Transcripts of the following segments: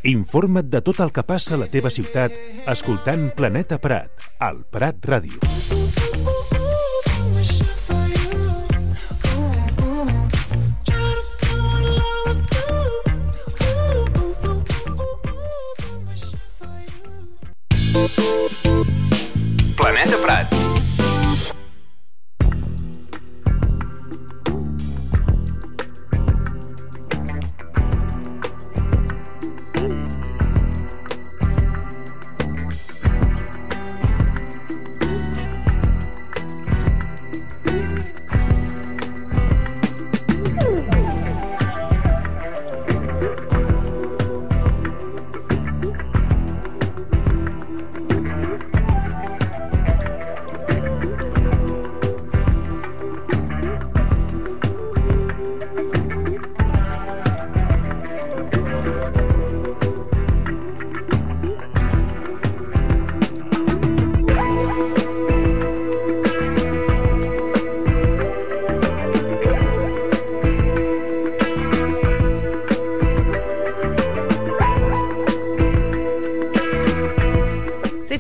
Informa't de tot el que passa a la teva ciutat escoltant Planeta Prat, al Prat Ràdio. Planeta Prat.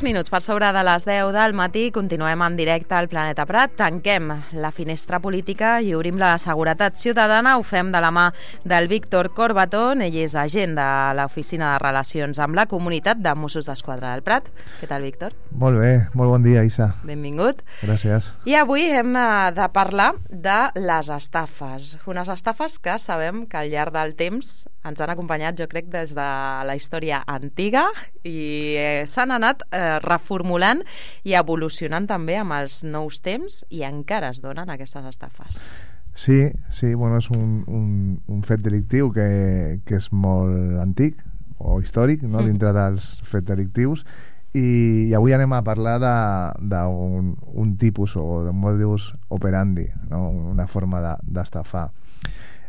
Minuts per sobre de les 10 del matí, continuem en directe al Planeta Prat, tanquem la finestra política i obrim la seguretat ciutadana. Ho fem de la mà del Víctor Corbatón, ell és agent de l'Oficina de Relacions amb la Comunitat de Mossos d'Esquadra del Prat. Què tal, Víctor? Molt bé, molt bon dia, Isa. Benvingut. Gràcies. I avui hem de parlar de les estafes. Unes estafes que sabem que al llarg del temps ens han acompanyat, jo crec, des de la història antiga i s'han anat reformulant i evolucionant també amb els nous temps i encara es donen aquestes estafes. Sí, bueno, és un fet delictiu que és molt antic o històric, no? Dintre dels fets delictius, i avui anem a parlar d'un tipus o d'un modus operandi, no? Una forma d'estafar.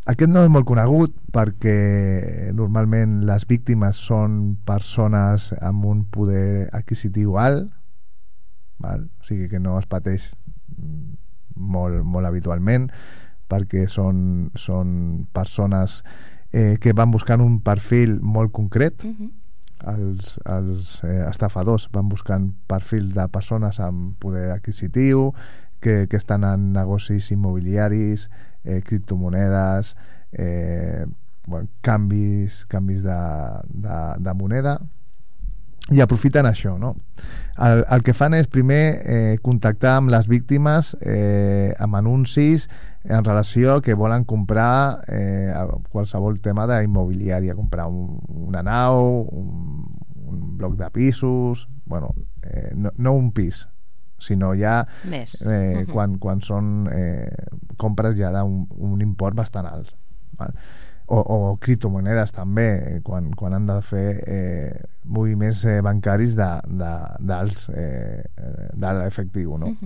Aquest no és molt conegut perquè normalment les víctimes són persones amb un poder adquisitiu alt, val? O sigui que no es pateix molt habitualment, perquè són persones que van buscant un perfil molt concret. Els estafadors van buscant perfil de persones amb poder adquisitiu, que estan en negocis immobiliaris, criptomonedes, canvis de moneda, i aprofiten això, no? El que fan és primer contactar amb les víctimes amb anuncis en relació que volen comprar qualsevol tema d'immobiliària, comprar una nau, un bloc de pisos, no un pis, sinó ja quan són compres ja d'un import bastant alt, val? O criptomonedes també, quan han de fer moviments bancaris d'alt efectiu, no?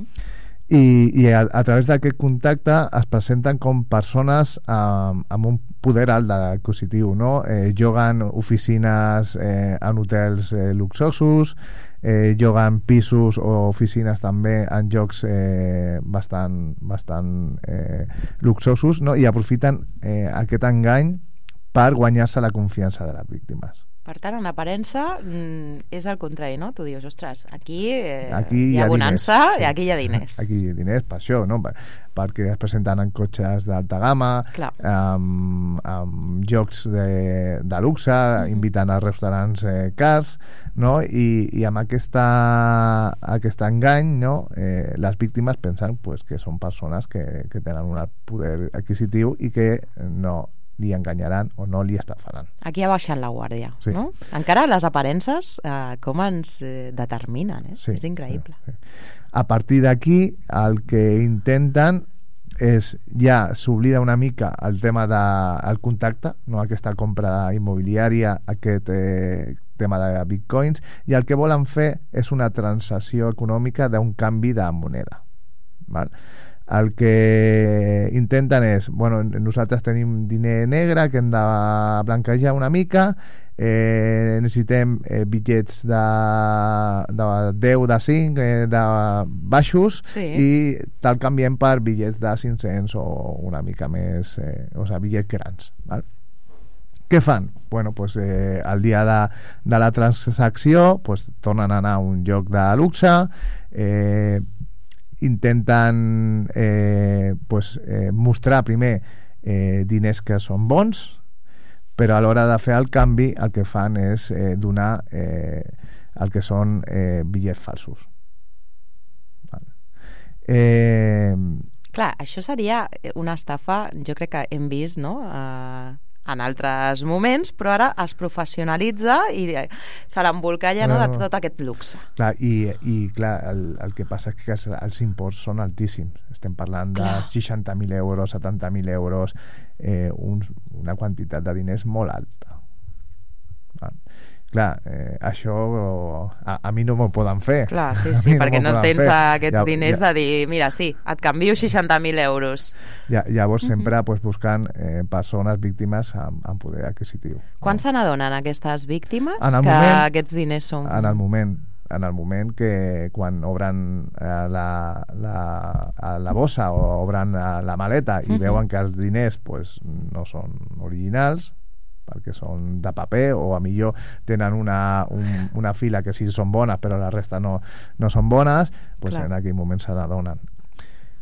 I a través d'aquest contacte es presenten com persones amb un poder alt adquisitiu, no? Lloguen oficines en hotels luxosos, lloguen pisos o oficines també en llocs bastant luxosos, no? I aprofiten aquest engany per guanyar-se la confiança de les víctimes. Per tant, en aparença és el contrari, no? Tu dius, ostres, aquí hi ha bonança i aquí hi ha diners. Aquí hi ha diners, per això, no? Perquè es presenten en cotxes d'alta gamma, amb llocs de luxe, inviten a restaurants cars, no? I amb aquest engany, no? Les víctimes pensen que són persones que tenen un alt poder adquisitiu i que no li enganyaran o no li estafaran. Aquí ha baixat la guàrdia, sí. No? Encara les aparences com ens determinen, Sí, és increïble. Sí. A partir d'aquí el que intenten és ja s'oblida una mica el tema del contacte, no? Aquesta compra immobiliària, aquest tema de bitcoins, i el que volen fer és una transacció econòmica d'un canvi de moneda, val? El que intenten és, nosaltres tenim diner negre que hem de blanquejar una mica, necessitem bitllets de 10, de 5, de baixos, i te'l canviem per bitllets de 500 o una mica més, bitllets grans, val? Què fan? Bueno, pues, el dia de la transacció pues, tornen a anar a un lloc de luxe, intenten mostrar primer diners que són bons, però a l'hora de fer el canvi el que fan és donar el que són bitllets falsos. Clar, això seria una estafa, jo crec que hem vist, no?, en altres moments, però ara es professionalitza i se l'embolcalla, no, de tot aquest luxe. Clar, i clar, el que passa és que els imports són altíssims. Estem parlant de 60.000 euros, 70.000 euros, una quantitat de diners molt alta. Clar, això a mi no m'ho poden fer. Clar, sí, perquè no tens aquests diners de dir, mira, sí, et canvio 60.000 euros. Llavors sempre buscant persones víctimes amb poder adquisitiu. Quan se n'adonen aquestes víctimes que aquests diners són... En el moment que quan obren la bossa o obren la maleta i veuen que els diners no són originals, perquè són de paper o a millor tenen una fila que sí són bones però la resta no són bones, en aquell moment se n'adonen.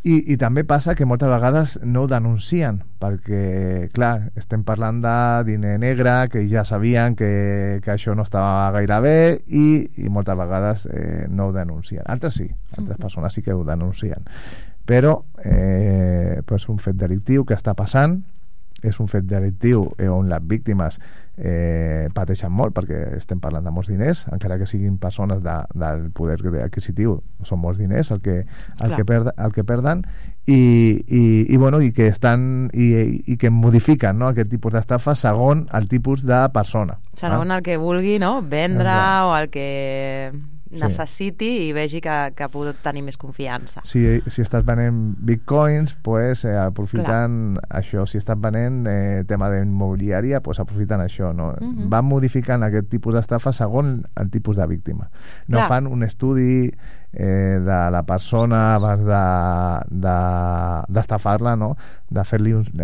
I també passa que moltes vegades no ho denuncien perquè, clar, estem parlant de diner negre, que ja sabien que això no estava gaire bé i moltes vegades no ho denuncien. Altres sí, altres persones sí que ho denuncien. Però un fet delictiu que està passant, és un fet delictiu on les víctimes pateixen molt perquè estem parlant de molts diners, encara que siguin persones del poder adquisitiu, són molts diners el que perden i que estan i que modifiquen, no, aquest tipus d'estafa segons el tipus de persona. Segons el que vulgui, no, vendre o el que necessiti i vegi que pot tenir més confiança. Si estàs venent bitcoins, aprofiten això. Si estàs venent tema d'immobiliària, aprofiten això, no? Van modificant aquest tipus d'estafa segons el tipus de víctima. No fan un estudi de la persona abans d'estafar-la, no? De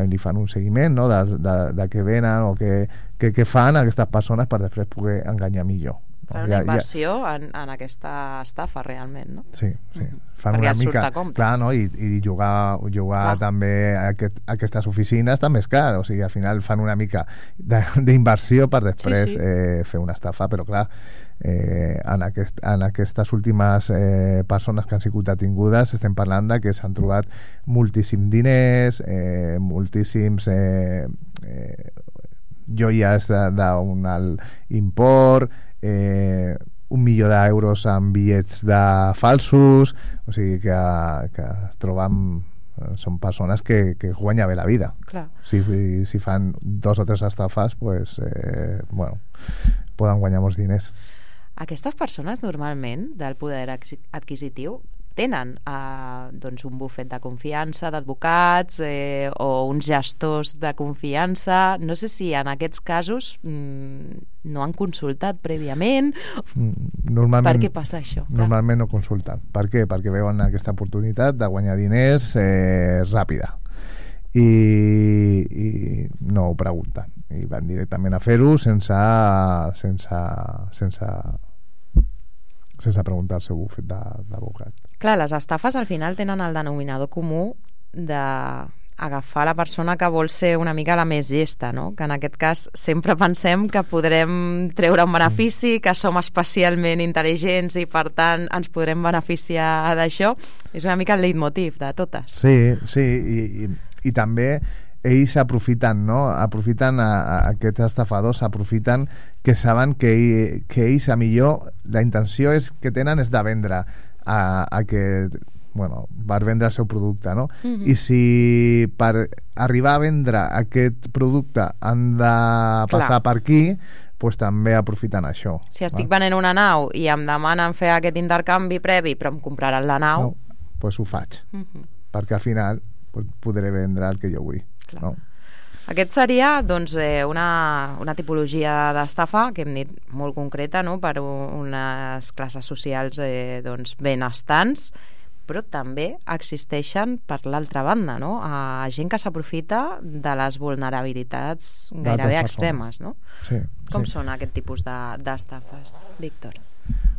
li fan un seguiment, no? de què venen o què fan aquestes persones per després poder enganyar millor. Una inversió en aquesta estafa realment, no? Sí. Fan una mica, clar, no? I jugar també a aquestes oficines també és car, o sigui, al final fan una mica d'inversió per després fer una estafa, però clar, en aquestes últimes persones que han sigut detingudes estem parlant de que s'han trobat moltíssims diners, moltíssims joies d'un alt import, 1 milió d'euros en bitllets falsos, o sigui que es troben, són persones que guanyen bé la vida. Clar. Si fan 2 o 3 estafes, poden guanyar molts diners. Aquestes persones normalment del poder adquisitiu tenen un bufet de confiança d'advocats o uns gestors de confiança. No sé si en aquests casos no han consultat prèviament. Per què passa això? Normalment no consulten. Per què? Perquè veuen aquesta oportunitat de guanyar diners ràpida i no ho pregunten i van directament a fer-ho sense preguntar el seu bufet d'advocat. Clar, les estafes al final tenen el denominador comú d'agafar la persona que vol ser una mica la més llesta, no? Que en aquest cas sempre pensem que podrem treure un benefici, que som especialment intel·ligents i per tant ens podrem beneficiar d'això. És una mica el leitmotiv de totes. Sí, i també ells aprofiten, no? Aquests estafadors aprofiten que saben que ells a millor la intenció que tenen és de vendre per vendre el seu producte, no? I si per arribar a vendre aquest producte han de passar per aquí, també aprofiten això. Si estic venent una nau i em demanen fer aquest intercanvi previ però em compraran la nau, doncs ho faig, perquè al final podré vendre el que jo vull. No? Aquest seria una tipologia d'estafa que hem dit molt concreta, no? Per unes classes socials benestants, però també existeixen per l'altra banda, no? Gent que s'aprofita de les vulnerabilitats gairebé extremes, no? Sí, Com són aquest tipus d'estafes, Víctor?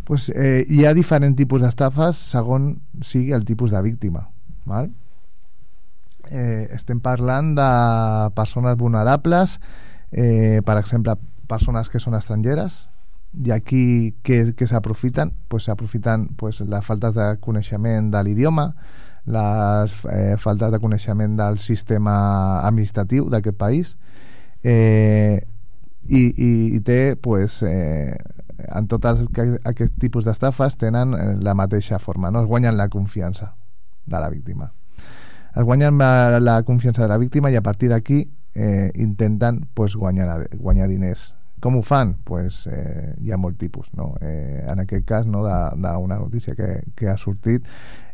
Pues, hi ha diferents tipus d'estafes segons sigui el tipus de víctima, val? Estem parlant de persones vulnerables, per exemple, persones que són estrangeres, i aquí que s'aprofiten? Pues s'aprofiten les faltes de coneixement de l'idioma, les faltes de coneixement del sistema administratiu d'aquest país, i té en tots aquests tipus d'estafes tenen la mateixa forma, no? Es guanyen la confiança de la víctima, es guanyen la confiança de la víctima, i a partir d'aquí intenten guanyar diners. Com ho fan? Hi ha molt tipus, no? En aquest cas, no, d'una notícia que ha sortit,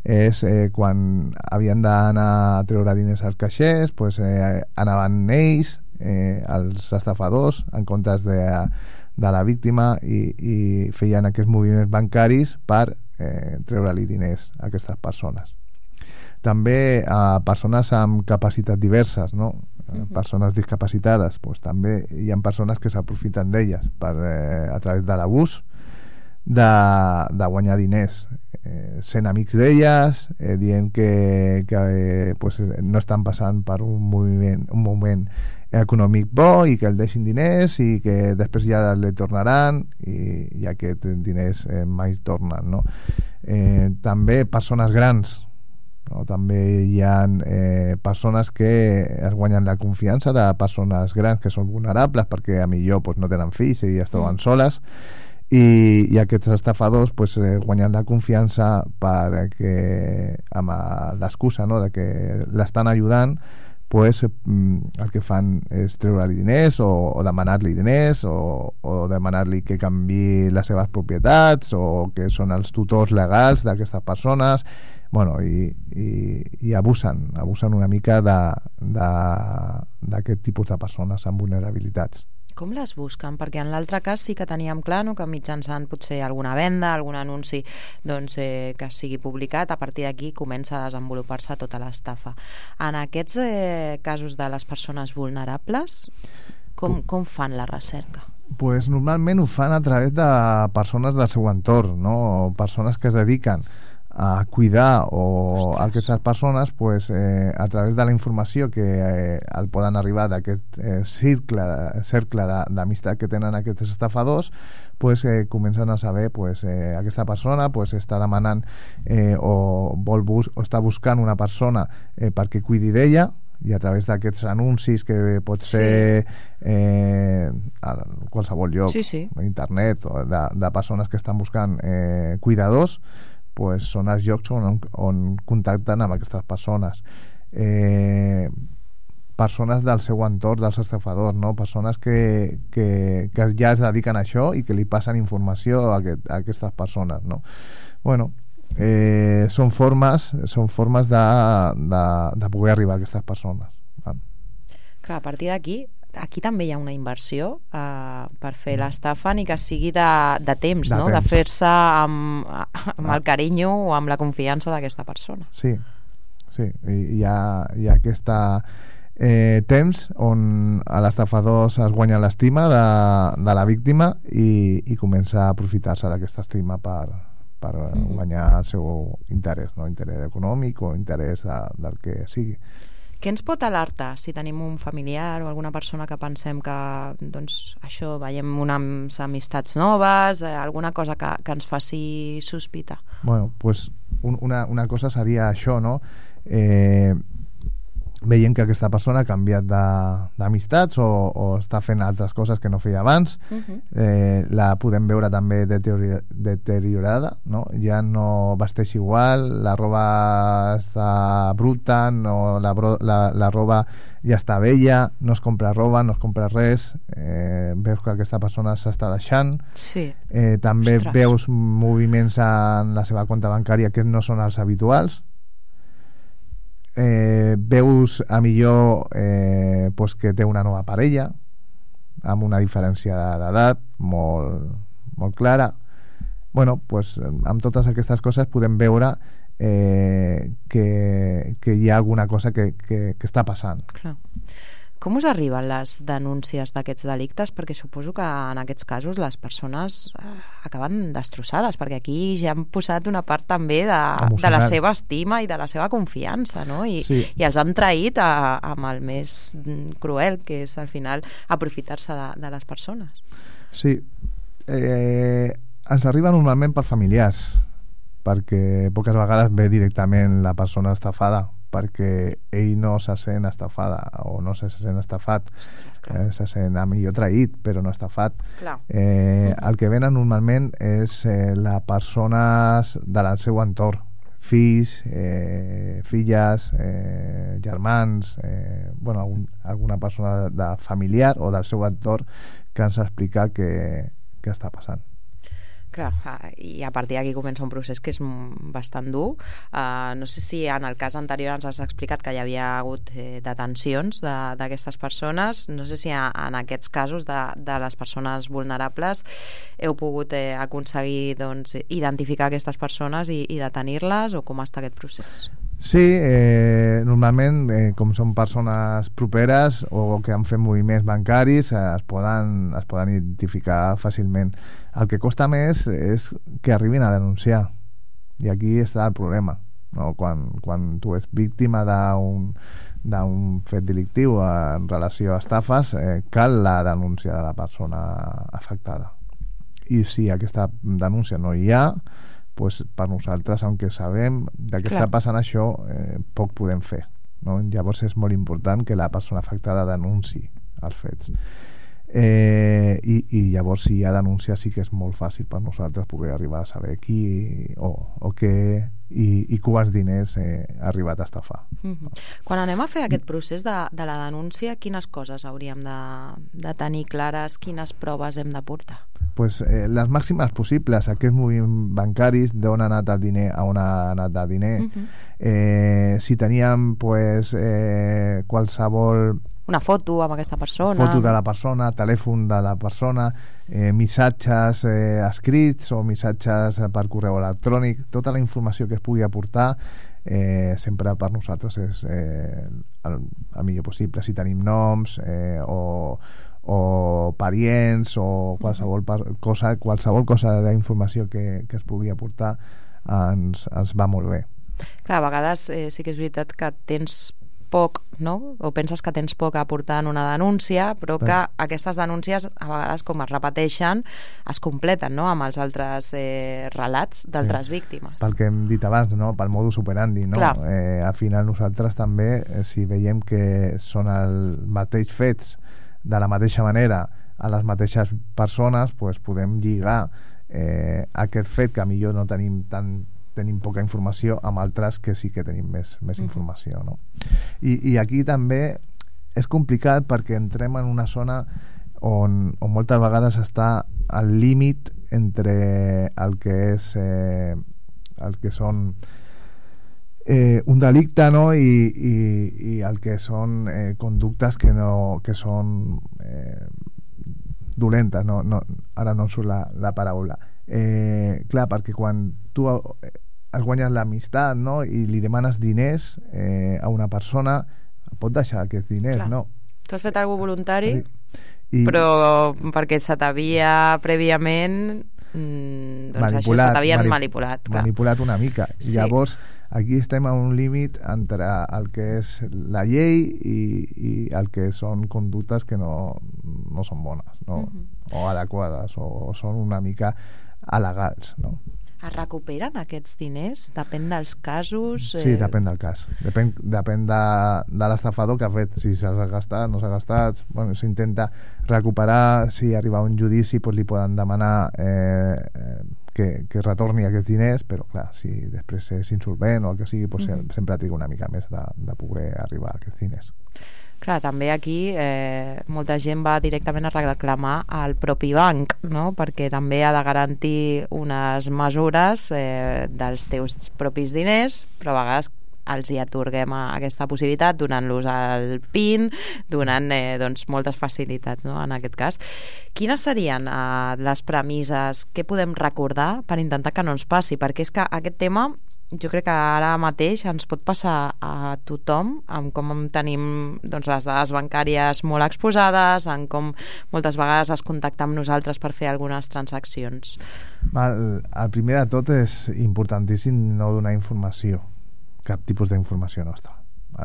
és quan havien d'anar a treure diners als caixers, anaven ells, els estafadors, en comptes de la víctima, i feien aquests moviments bancaris per treure-li diners a aquestes persones. També a persones amb capacitats diverses, no? Persones discapacitades, també hi ha persones que s'aprofiten d'elles a través de l'abús de guanyar diners, sent amics d'elles, dient que no estan passant per un moment econòmic bo i que el deixin diners i que després ja li tornaran, i aquests diners mai tornen, no? També persones grans, no? També hi ha persones que es guanyen la confiança de persones grans que són vulnerables perquè a millor no tenen fills i es troben soles, i aquests estafadors guanyen la confiança perquè, amb l'excusa, no, de que l'estan ajudant, el que fan és treure-li diners o demanar-li diners o demanar-li que canviï les seves propietats, o que són els tutors legals d'aquestes persones, i abusen una mica d'aquest tipus de persones amb vulnerabilitats. Com les busquen? Perquè en l'altre cas sí que teníem clar, no, que mitjançant potser alguna venda, algun anunci que sigui publicat, a partir d'aquí comença a desenvolupar-se tota l'estafa. En aquests casos de les persones vulnerables, com fan la recerca? Normalment ho fan a través de persones del seu entorn, no? Persones que es dediquen a cuidar aquestes persones, a través de la informació que el poden arribar d'aquest cercle d'amistat que tenen aquests estafadors, comencen a saber aquesta persona està demanant o està buscant una persona perquè cuidi d'ella, i a través d'aquests anuncis que pot ser a qualsevol lloc, a internet, de persones que estan buscant cuidadors, són els llocs on contacten amb aquestes persones. Persones del seu entorn, dels estafadors, no? Persones que ja es dediquen a això i que li passen informació a aquestes persones, no? Són formes de poder arribar a aquestes persones. Clar, a partir d'aquí també hi ha una inversió per fer l'estafa, ni que sigui de temps, no? De fer-se amb el carinyo o amb la confiança d'aquesta persona. Sí, hi ha aquest temps on l'estafador es guanya l'estima de la víctima i comença a aprofitar-se d'aquesta estima per guanyar el seu interès, no? Interès econòmic o interès del que sigui. Què ens pot alertar si tenim un familiar o alguna persona que pensem que, això, veiem unes amistats noves, alguna cosa que ens faci sospitar? Una cosa seria això, no? Veiem que aquesta persona ha canviat d'amistats o està fent altres coses que no feia abans. La podem veure també deteriorada, no? Ja no vesteix igual, la roba està bruta, la roba ja està vella, no es compra roba, no es compra res, veus que aquesta persona s'està deixant. També veus moviments en la seva compte bancària que no són els habituals. Veus a millor que té una nova parella amb una diferència d'edat molt clara. Amb totes aquestes coses podem veure que hi ha alguna cosa que està passant. Clar. Com us arriben les denúncies d'aquests delictes? Perquè suposo que en aquests casos les persones acaben destrossades, perquè aquí ja han posat una part també de la seva estima i de la seva confiança, no? I els han traït amb el més cruel, que és al final aprofitar-se de les persones. Sí. Ens arriba normalment per familiars, perquè poques vegades ve directament la persona estafada, perquè ell no se sent estafada o no se sent estafat. Se sent a millor traït, però no estafat. El que venen normalment és les persones del seu entorn, fills, filles, germans, alguna persona de familiar o del seu entorn que ens explica què està passant. Clar, i a partir d'aquí comença un procés que és bastant dur. No sé si en el cas anterior ens has explicat que hi havia hagut detencions d'aquestes persones. No sé si en aquests casos de les persones vulnerables heu pogut aconseguir identificar aquestes persones i detenir-les, o com està aquest procés? Sí, normalment, com són persones properes o que han fet moviments bancaris, es poden identificar fàcilment. El que costa més és que arribin a denunciar, i aquí està el problema, no? Quan tu ets víctima d'un fet delictiu en relació a estafes, cal la denúncia de la persona afectada, i si aquesta denúncia no hi ha, pues per nosaltres, aunque sabem de què està passant això, poc podem fer, no? Llavors és molt important que la persona afectada denunciï els fets, i llavors si hi ha denúncia sí que és molt fàcil per nosaltres poder arribar a saber qui o què i quants diners ha arribat a estafar. Quan anem a fer aquest procés de la denúncia, quines coses hauríem de tenir clares, quines proves hem de portar? Pues, les màximes possibles, aquests moviments bancaris, d'on ha anat el diner, a on ha anat el diner. Si teníem qualsevol... Una foto amb aquesta persona. Foto de la persona, telèfon de la persona, missatges escrits o missatges per correu electrònic, tota la informació que es pugui aportar sempre per nosaltres és el millor possible. Si tenim noms o parients o qualsevol cosa d'informació que es pugui aportar ens va molt bé. Clar, a vegades sí que és veritat que tens poc, no? O penses que tens poc a aportar en una denúncia, però que aquestes denúncies a vegades, com es repeteixen, es completen, no?, amb els altres relats d'altres víctimes. Pel que hem dit abans, no?, pel modus operandi, no? Al final nosaltres també, si veiem que són els mateixos fets de la mateixa manera a les mateixes persones, pues podem lligar aquest fet que millor no tenim poca informació amb altres que sí que tenim més informació, no? I aquí també és complicat perquè entrem en una zona on moltes vegades està al límit entre el que és el que són un delicte, no? I el que són conductes que són dolentes, no? Ara no em surt la paraula. Clar, perquè quan tu es guanyes l'amistat, no?, i li demanes diners a una persona, pot deixar aquests diners, clar, no? Tu has fet alguna cosa voluntari, però perquè se t'havia prèviament manipulat, se t'havien manipulat. Manipulat una mica. Sí. Llavors, aquí estem a un límit entre el que és la llei i el que són conductes que no són bones, no? O adequades, o són una mica alegals, no? Es recuperen aquests diners? Depèn dels casos? Sí, depèn del cas. Depèn de l'estafador que ha fet. Si s'ha gastat, no s'ha gastat... Bueno, s'intenta recuperar. Si arriba a un judici, pues li poden demanar que retorni aquests diners, però clar, si després és insolvent o el que sigui, pues sempre triga una mica més de poder arribar a aquests diners. Clar, també aquí molta gent va directament a reclamar al propi banc, no?, perquè també ha de garantir unes mesures dels teus propis diners, però a vegades els hi atorguem aquesta possibilitat donant-los el PIN, donant moltes facilitats, no?, en aquest cas. Quines serien les premisses? Què podem recordar per intentar que no ens passi? Perquè és que aquest tema jo crec que ara mateix ens pot passar a tothom, amb com tenim doncs, les dades bancàries molt exposades, en com moltes vegades es contacta amb nosaltres per fer algunes transaccions. El primer de tot és importantíssim no donar informació, cap tipus d'informació nostra,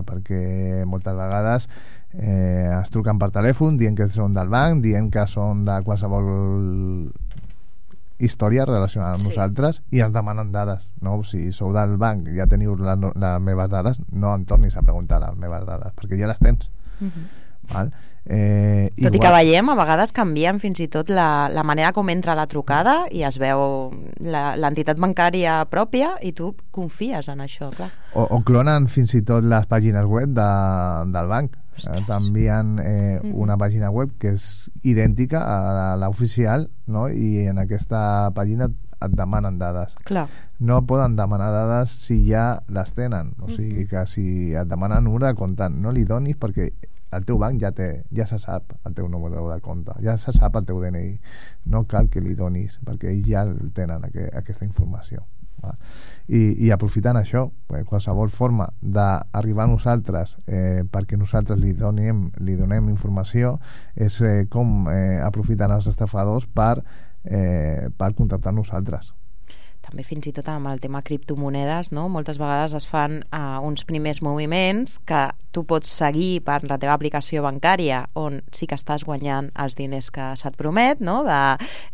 perquè moltes vegades es truquen per telèfon dient que són del banc, dient que són de qualsevol història relacionada amb nosaltres i ens demanen dades, no? Si sou del banc i ja teniu les meves dades, no em tornis a preguntar les meves dades perquè ja les tens. Val? Tot i que veiem, a vegades canvien fins i tot la manera com entra la trucada i es veu l'entitat bancària pròpia i tu confies en això, clar. O clonen fins i tot les pàgines web del banc. T'envien una pàgina web que és idèntica a l'oficial, no? I en aquesta pàgina et demanen dades. Clar. No poden demanar dades si ja les tenen, o sigui que si et demanen número de compte no li donis perquè el teu banc ja se sap el teu número de compte, ja se sap el teu DNI, no cal que li donis perquè ells ja tenen aquesta informació. I aprofitant això, qualsevol forma d'arribar a nosaltres perquè nosaltres li donem informació és com aprofiten els estafadors per contactar nosaltres. També fins i tot amb el tema criptomonedes, no? Moltes vegades es fan uns primers moviments que tu pots seguir per la teva aplicació bancària on sí que estàs guanyant els diners que se't promet, no?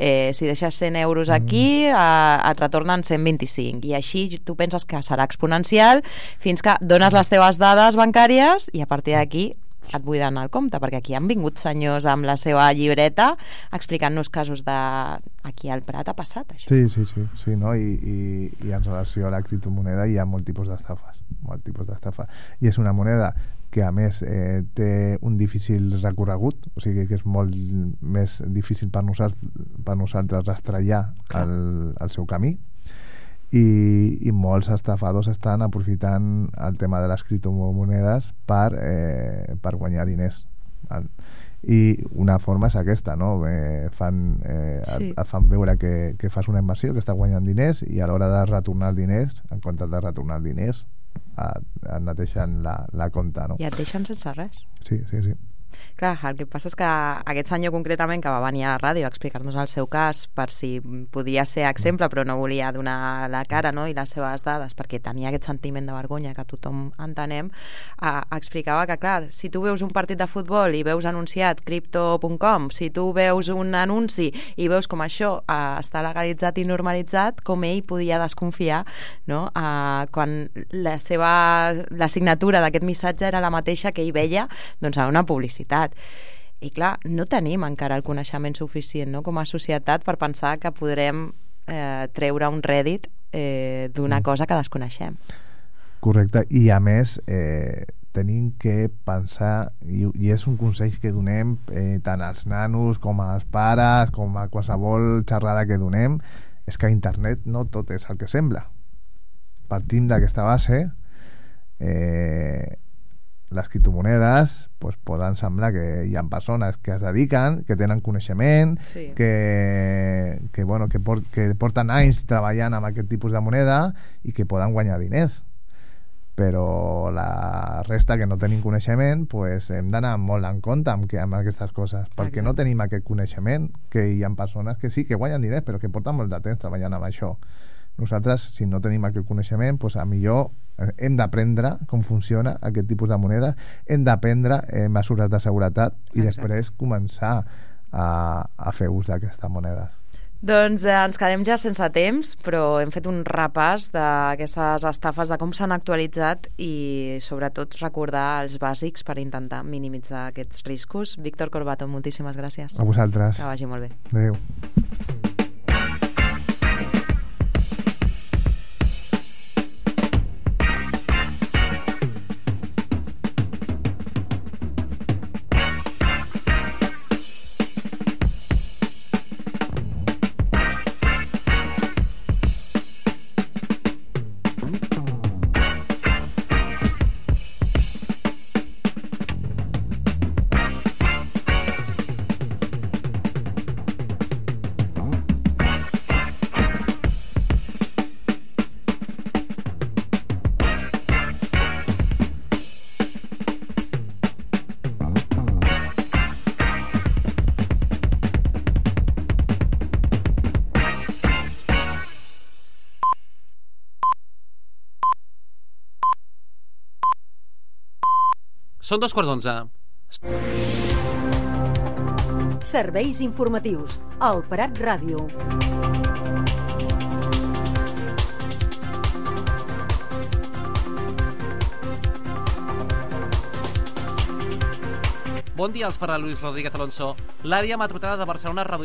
Si deixes 100 euros aquí et retornen 125 i així tu penses que serà exponencial fins que dones les teves dades bancàries i a partir d'aquí et buiden el compte, perquè aquí han vingut senyors amb la seva llibreta explicant-nos casos de aquí al Prat ha passat això. Sí, no? I en relació a la criptomoneda hi ha molt tipus d'estafes, i és una moneda que a més té un difícil recorregut, o sigui que és molt més difícil per nosaltres rastrellar el seu camí, i molts estafadors estan aprofitant el tema de les criptomonedes per guanyar diners. I una forma és aquesta, no? Et fan veure que fas una inversió, que estàs guanyant diners i a l'hora de retornar els diners, en comptes de retornar els diners et neteixen la compta, no? I et deixen sense res. Sí. Clar, el que passa és que aquest senyor concretament que va venir a la ràdio a explicar-nos el seu cas per si podia ser exemple però no volia donar la cara, no? I les seves dades perquè tenia aquest sentiment de vergonya que tothom entenem, explicava que clar, si tu veus un partit de futbol i veus anunciat crypto.com, si tu veus un anunci i veus com això està legalitzat i normalitzat, com ell podia desconfiar, no? Quan la signatura d'aquest missatge era la mateixa que ell veia doncs, en una publicitat. I clar, no tenim encara el coneixement suficient, no? Com a societat per pensar que podrem treure un rèdit d'una cosa que desconeixem. Correcte, i a més tenim que pensar, i és un consell que donem tant als nanos com als pares, com a qualsevol xerrada que donem, és que a internet no tot és el que sembla. Partim d'aquesta base. Les criptomonedes poden semblar que hi ha persones que es dediquen, que tenen coneixement, que porten anys treballant amb aquest tipus de moneda i que poden guanyar diners, però la resta que no tenim coneixement hem d'anar molt en compte amb aquestes coses, perquè no tenim aquest coneixement, que hi ha persones que sí que guanyen diners però que porten molt de temps treballant amb això. Nosaltres, si no tenim aquest coneixement, a millor hem d'aprendre com funciona aquest tipus de moneda, hem d'aprendre mesures de seguretat i després començar a fer ús d'aquestes monedes. Doncs ens quedem ja sense temps, però hem fet un repàs d'aquestes estafes, de com s'han actualitzat i sobretot recordar els bàsics per intentar minimitzar aquests riscos. Víctor Corbato, moltíssimes gràcies. A vosaltres. Que vagi molt bé. Adéu. Són 2:15. Serveis informatius. El Prat Ràdio. Bon dia, els parla Luis Rodríguez Alonso. L'àrea metropolitana de Barcelona